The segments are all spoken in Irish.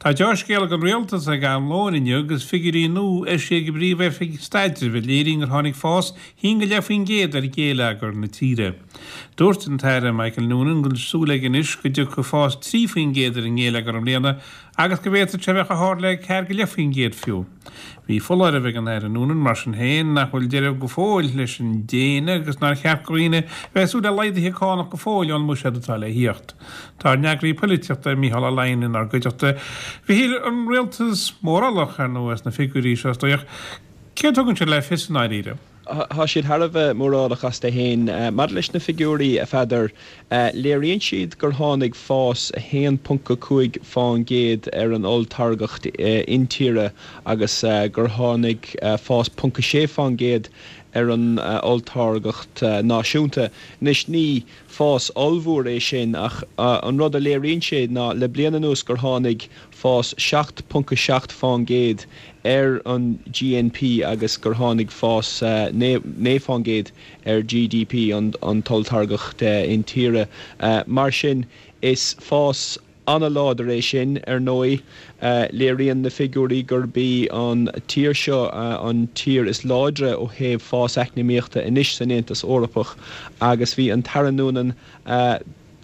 Tá deá-scéal ag an Rialtas ag am lóin inniu agus figiúirí nua eisithe ag an bPríomh-Oifig Staidrimh a léiríonn gur tháinig fás 1.5% ar ghéilleagar na tíre. Dúirt an tAire Michael Noonan go bhfuil súil aige anois go dtiocfaidh fás 3% ar an ngéilleagar i mbliana agus go bhféadfadh sé a bheith chomh hard le 4.5% fiú. Bhí foláireamh ag an Aire Noonan, mar sin féin, nach bhfuil deireadh go fóill leis an déine agus nár cheart do dhaoine a bheith ag súil le laghduithe cánach go fóill ón mbuiséad atá le thíocht. Tá ár n-eagraí poilitíochta, Mícheál Ó Leidhin, inár gcuideachta. A Mhichíl, an rialtas mórálach, ar ndóigh, as na figiúirí seo, is dóigh, ach céard a thugann siad le fios i ndáiríre? Tá siad thar a bheith mórálach astu féin. Maidir leis na figiúirí, a Pheadair, léiríonn siad gur tháinig fás 1.5% ar an olltáirgeacht intíre agus gur tháinig fás 0.6% ar an olltáirgeacht náisiúnta. Anois, ní fás ollmhór é sin ach an rud a léiríonn sé ná le bliain anuas gur tháinig fás 7.7% ar an GNP agus gur tháinig fás 9% ar GDP, an t-olltáirgeacht intíre. Mar sin, is fás an-láidir é sin. Ar ndóigh, léiríonn na figiúirí gurb í an tír seo an tír is láidre ó thaobh fás eacnamaíochta anois san Aontas Eorpach agus bhí an tAire Noonan,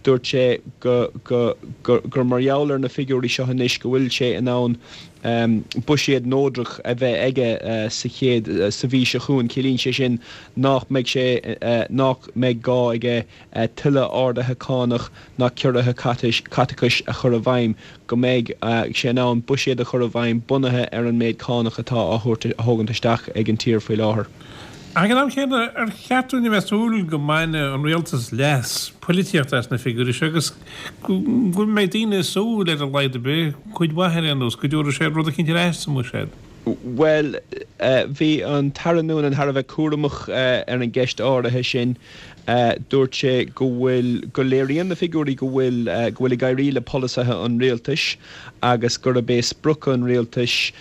Dúirt sé go gur mar gheall ar na figiúirí seo anois go bhfuil sé in ann buiséad neodrach a bheith aige sa chéad sa mhí seo chugainn. Ciallaíonn sé sin nach mbeidh sé nach mbeidh gá aige tuilleadh arduithe cánach ná ciorruithe caiteachais a chur i bhfeidhm, go mbeidh sé in ann buiséad a chur i bhfeidhm bunaithe ar an méid cánach atá á thabhairt á thógaint isteach ag an tír faoi láthair. Ag an am céanna, ar cheart dúinn a bheith ag súil go mbainfidh an rialtas leas poilitíochta as na figiúirí seo agus go mbeidh daoine ag súil, ar a laghad ar bith, cuid mhaith ar aon nós, go dtabharfaidh sé rud eicínt ar ais sa mbuiséad? Bhuel, bhí an tAire Noonan thar a bheith cúramach ar an gceist áirithe sin. Dúirt sé go bhfuil, go léiríonn na figiúirí go bhfuil, go bhfuil ag éirí le polasaithe an rialtais agus gurb é sprioc an rialtais,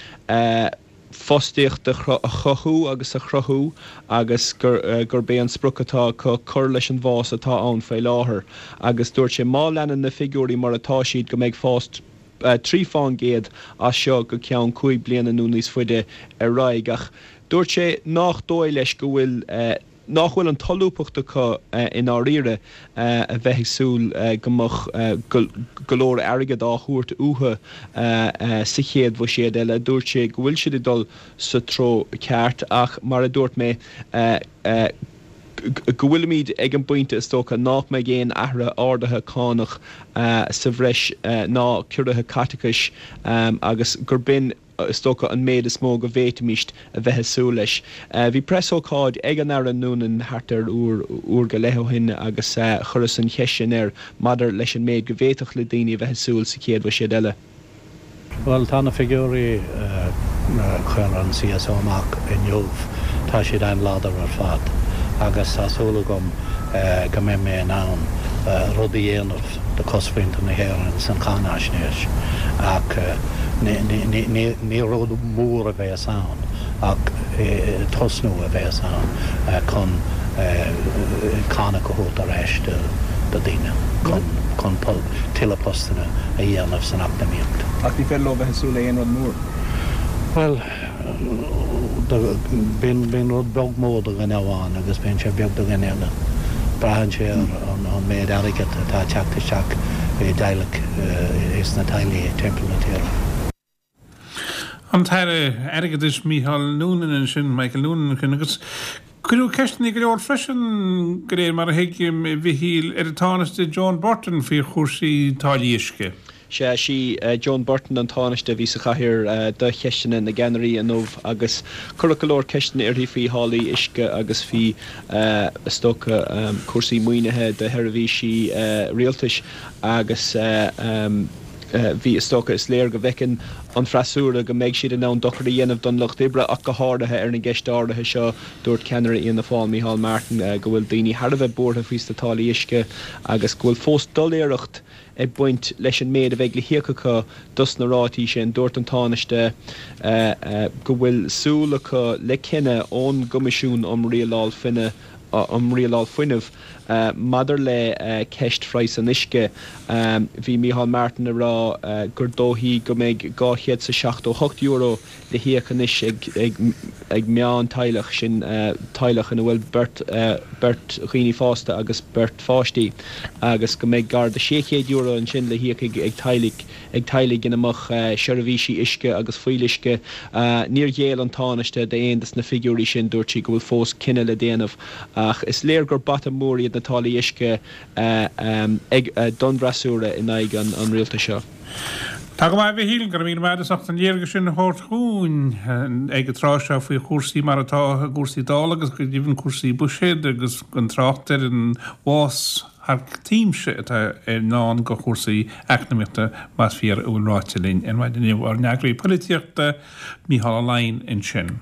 fostaíocht a chothú agus a chruthú agus gurb é an sprioc atá acu cur leis an bhfás atá ann faoi láthair agus dúirt sé má leanann na figiúirí mar atá siad go mbeidh fás 3 fán gcéad as seo go ceann 5 bliana nó níos faide ar aghaidh ach dúirt sé nách dóigh leis go bhfuil nach bhfuil an tsolúbthacht acu i ndáiríre a bheith ag súil go mbeadh go leor airgid á thabhairt uathu sa chéad bhuiséad eile. Dúirt sé go bhfuil siad ag dul sa treo ceart ach, mar a dúirt mé, go bhfuilimid ag an bpointe is dócha nach mbeidh aon athruithe arduithe cánach sa bhreis ná ciorruithe caiteachais agus gur b'in is dócha, an méid is mó go bhféadfaimíst a bheith ag súil leis. Bhí preasócáid ag an Aire Noonan thart ar uair, uair go leith ó shin agus chuireas an cheist sin air maidir leis an méid go bhféadfadh le daoine a bheith ag súil sa chéad bhuiséad eile. Bhuel, tá na figiúirí a chuir an CSO amach inniu, tá siad an-láidir ar fad agus tá súil agam go mbeidh mé in ann rud a dhéanamh do chosmhuintir na hÉireann san cháinaisnéis ach ní rud mór a bheas ann ach tosnú a bheas ann chun cánach a thabhairt ar ais do daoine chun tuilleadh postanna a dhéanamh san eacnamaíocht. Ach ní féidir leo bheith ag súil le aon rud mór. Bhuel, bíonn rud beag mór do dhuine amháin agus bíonn sé beag do dhuine eile. Braitheann sé ar an méid airgid atá ag teacht isteach i dteaghlach, sna teaghlaigh timpeall na tíre. An tAire Airgeadais Micheál Noonan ansin, Michael Noonan ansin, agus cuireadh ceisteanna go leor freisin, de réir mar a thuigim, a Mhichíl, ar an Tánaiste Joan Burton faoi chúrsaí táillí uisce. Sea, sí Joan Burton an Tánaiste a bhí sa chathaoir do cheisteanna na gceannairí inniu agus cuireadh go leor ceisteanna uirthi faoi tháillí uisce agus faoi, is dócha, cúrsaí maoinithe do sheirbhísí rialtais agus bhí, is dócha, is léir go bhfeiceann an freasúra go mbeidh siad in ann dochar a dhéanamh don lucht oibre ach go háirithe ar an gceist áirithe seo. Dúirt ceannaire Fhianna Fáil, Micheál Martin, go bhfuil daoine thar a bheith buartha faoi sna táillí uisce agus go bhfuil fós doiléireacht ag baint leis an méid a bheidh le híoc acu dos na rátaí sin. Dúirt an Tánaiste go bhfuil súil acu le cinneadh ón gCoimisiún um Rialáil um Rialáil Fuinnimh. Maidir le ceist phraghas an uisce, bhí Micheál Martin ag rá gur dóichí go mbeidh €278 le híoc anois ag meán-teaghlach, sin teaghlach ina bhfuil beirt beirt dhaoine fásta agus beirt pháistí, agus go mbeidh gar do €600 ansin le híoc ag teaghlaigh ag teaghlaigh ina mbeadh seirbhísí uisce agus fuíolluisce. Níor ghéill an Tánaiste d'aon de na figiúirí sin, dúirt sí go bhfuil fós cinneadh le déanamh ach is léir gur bata mór iad na táillí uisce ag don bhfreasúra in aghaidh an rialtais seo. Tá go maith, a Mhichíl, go raibh míle maith agat as ucht an léargas sin a thabhairt dhúinn ag an tráth seo faoi chúrsaí mar atá i gcúrsaí Dála agus go deimhin cúrsaí buiséid agus gan trácht ar an bhfás thar cuimse atá i ndán do chúrsaí eacnamaíochta más fíor a bhfuil ráite linn ar maidin inniu. Ár n-eagraí polaitíochta, Mícheál Ó Laighin ansin.